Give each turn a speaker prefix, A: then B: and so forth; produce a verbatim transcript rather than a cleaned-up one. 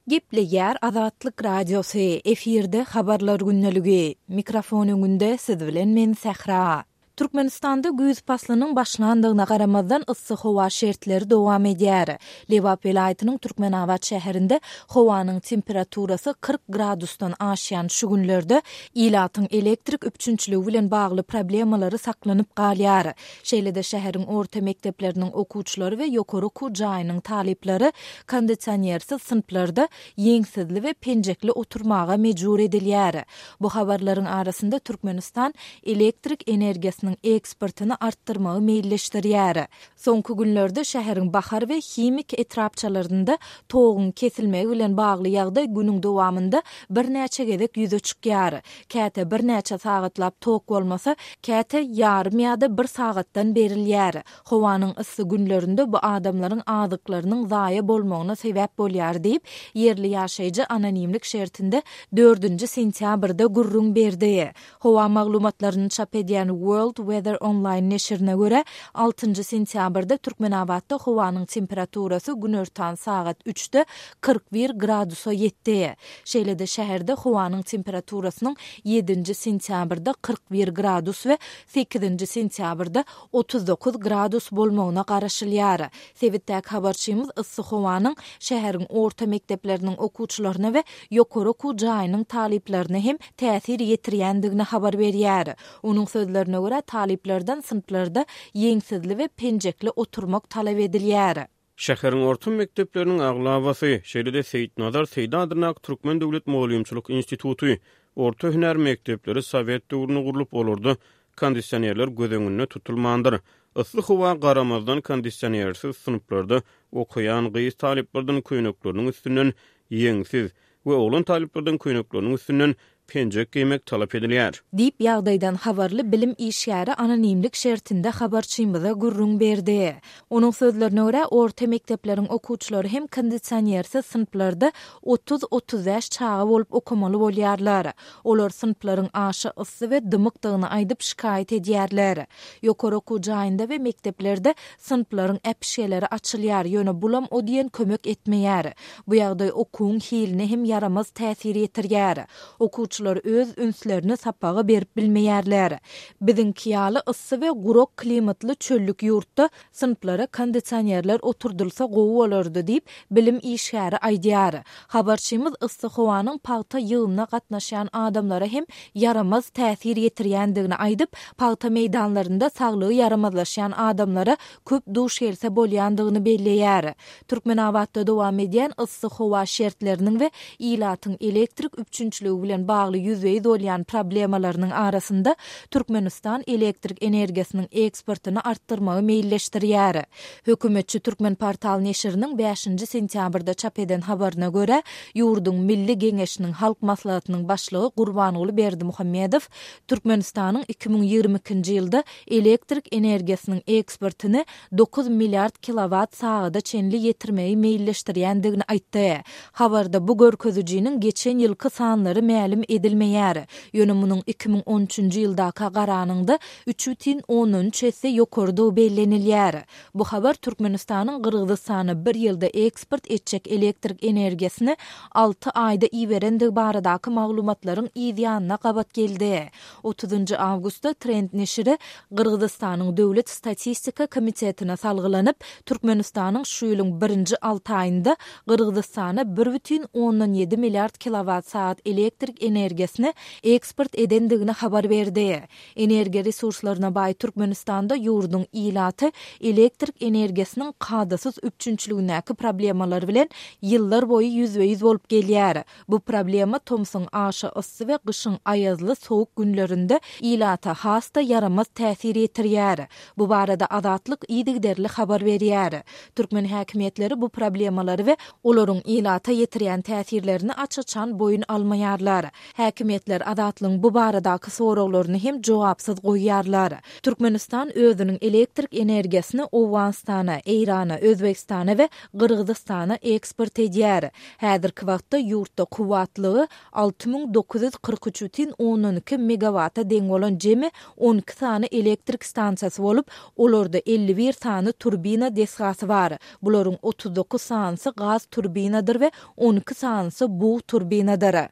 A: Gepleýär Azatlyk Radiosy, efirde Habarlar gündeligi. Mikrofon öňünde siz bilen men Sähra. Türkmenistanda güýz paslynyň başlandygyna garamazdan yssy howa şertleri dowam edýär. Lebap welaýatynyň Türkmenabat şäherinde howanyň temperaturasy kyrk gradusdan aşýan şu günlerde ilatyň elektrik üpjünçiligi bilen bagly problemalary saklanyp galýar. Şeýle-de şäheriň orta mekdepleriniň okuwçylary we ýokary okuw jaýynyň talyplary kondisionersiz synplarda ýeňsizli we penjekli oturmaga mejbur edilýär. Bu habarlaryň arasynda Türkmenistan elektrik energiýasynyň eksportyny artdyrmagy meýilleşdirýär. Soňky günlerde şäheriň Bahar we Himik etrapçalarynda toguň kesilmegi bilen bagly ýagdaý günüň dowamynda birnäçe gezek ýüze çykýar. Käte birnäçe sagatlap tok bolmasa, käte ýarym ýa-da bir sagatdan berilýär. Howanyň yssy günlerinde bu adamlaryň azyklarynyň zaýa bolmagyna sebäp bolýar diýip, ýerli ýaşaýjy anonimlik şertinde dördünji sentýabrda gürrüň berdi. Howa maglumatlaryny çap edýän World Weather Online neşirine görä, altynjy sentýabrda Türkmenabatda howanyň temperaturasy günortan sagat üçde kyrk bir gradusa ýetdi. Şeýle-de şäherde howanyň temperaturasynyň ýedinji sentýabrda kyrk bir gradus we sekizinji sentýabrda otuz dokuz gradus bolmagyna garaşylýar. Sebitdäki habarçymyz yssy howanyň şäheriň orta mekdepleriniň okuwçylaryna we ýokary okuw jaýynyň talyplaryna hem täsir ýetirýändigini habar berýär. Onuň sözlerine görä, talyplardan synplarda ýeňsizli we penjekli oturmak talap edilýär.
B: Şäheriň orta mekdepleriniň aglabasy, şeýle-de Seýitnazar Seýdi adyndaky Türkmen döwlet mugallymçylyk instituty, orta hünär mekdepleri sowet döwründe gurlup, olarda kondisionerler göz öňünde tutulmandyr. Yssy howa garamazdan kondisionersiz synplarda okaýan gyz talyplardan köýnekleriniň üstünden ýeňsiz we oglan talyplardan köýnekleriniň üstünden penjek geýmek talap edilýär.
A: Diýip, ýagdaýdan habarly bilim işgäri anonimlik şertinde habarçymyza gürrüň berdi. Onuň sözlerine görä, orta mekdepleriň okuwçylary hem kondisionersiz synplarda otuz-otuz bäş çaga bolup okamaly bolýarlar. Olar synplaryň aşa yssy we dymykdygyny aýdyp şikaýat edýärler. Ýokary okuw jaýynda we mekdeplerde synplaryň äpişgeleri açylýar, ýöne bulam o diýen kömek etmeýär. Bu ýagdaý okuwyň hiline hem ýaramaz täsir ýetirýär. Okuwçylar öz ünslerini sapaga berip bilmeýärler. Biziňki ýaly yssy we gurak klimatly çöllük ýurtda synplara kondisionerler oturdylsa gowy bolardy diýip, bilim işgäri aýdýar. Habarçymyz yssy howanyň pagta ýygymyna gatnaşýan adamlara hem ýaramaz täsir ýetirýändigini aýdyp, pagta meýdanlarynda saglygy ýaramazlaşýan adamlara köp duş gelse bolýandygyny belleýär. Türkmenabatda dowam edýän yssy howa şertleriniň we ilatyň elektrik üpjünçiligi bilen bagly ýüzbe-ýüz bolýan problemalarynyň arasynda Türkmenistan elektrik energiýasynyň eksportyny artdyrmagy meýilleşdirýär. Hökümetçi Türkmenportal neşiriniň bäşinji sentýabrda çap eden habaryna görä, ýurduň Milli Geňeşiniň Halk Maslahatynyň başlygy Gurbanguly Berdimuhamedow Türkmenistanyň iki müň ýigrimi ikinji ýylda elektrik energiýasynyň eksportyny dokuz milliard kilowat sagada çenli ýetirmegi meýilleşdirýändigini aýtdy. Habarda bu görkezijiniň geçen ýylky sanlary mälim edilmeýär. Ýöne munuň iki müň on üçünji ýyldaka garanyňda üç bütin ondan üç esse ýokarydygy bellenilýär. Bu habar Türkmenistanyň Gyrgyzystana bir ýylda eksport etjek elektrik energiýasyny alty aýda iberendigi baradaky maglumatlaryň yz ýanyna gabat geldi. Otuzynjy awgustda Trend neşiri Gyrgyzystanyň Döwlet statistika komitetine salgylanyp, Türkmenistanyň şu ýylyň birinji alty aýynda Gyrgyzystana bir bütin ondan ýedi milliard kilowat sagat elektrik energiýasyny eksport edendigini habar berdi. Energiýa resurslaryna baý Türkmenistanda ýurduň ilaty elektrik energiýasynyň kadasyz üpjünçiligindäki problemalar bilen ýyllar boýy ýüzbe-ýüz bolup gelýär. Bu problema tomsuň aşa yssy we gyşyň aýazly sowuk günlerinde ilata has-da ýaramaz täsir ýetirýär. Bu barada Azatlyk yzygiderli habar berýär. Türkmen häkimiýetleri bu problemalary we olaryň ilata ýetirýän täsirlerini aç-açan boýun almaýarlar. Häkimiýetler Azatlygyň bu baradaky soraglaryny hem jogapsyz goýýarlar. Türkmenistan özüniň elektrik energiýasyny Owganystana, Eýrana, Özbegistana we Gyrgyzystana eksport edýär. Häzirki wagtda ýurtda kuwwatlygy alty müň dokuz ýüz kyrk üç bütin ondan iki megawata deň bolan jemi on iki sany elektrik stansiýasy bolup, olarda elli bir sany turbina desgasy bar. Bularyň otuz dokuz sanysy gaz turbinadyr we on iki sanysy bug turbinadyr.